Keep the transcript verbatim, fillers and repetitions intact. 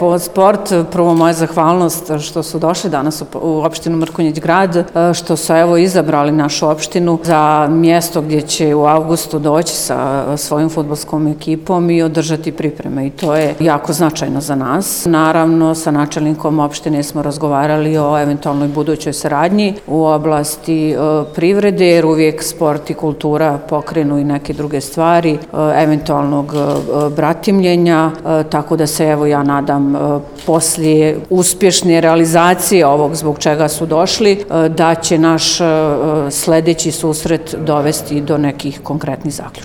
po sport, prvo moja zahvalnost što su došli danas u, u opštinu Mrkonjić Grad, što su evo izabrali našu opštinu za mjesto gdje će u avgustu doći sa svojim fudbalskom ekipom i održati pripreme i to je jako značajno za nas. Naravno, sa načelnikom opštine smo razgovarali o eventualnoj budućoj saradnji u oblasti e, privrede, jer uvijek sport i kultura pokrenu i neke druge stvari, e, eventualnog e, bratimljenja, e, tako da se evo ja nadam e, poslije uspješne realizacije ovog zbog čega su došli, e, da će naš e, sljedeći susret dovesti do nekih konkretnih zaključaka.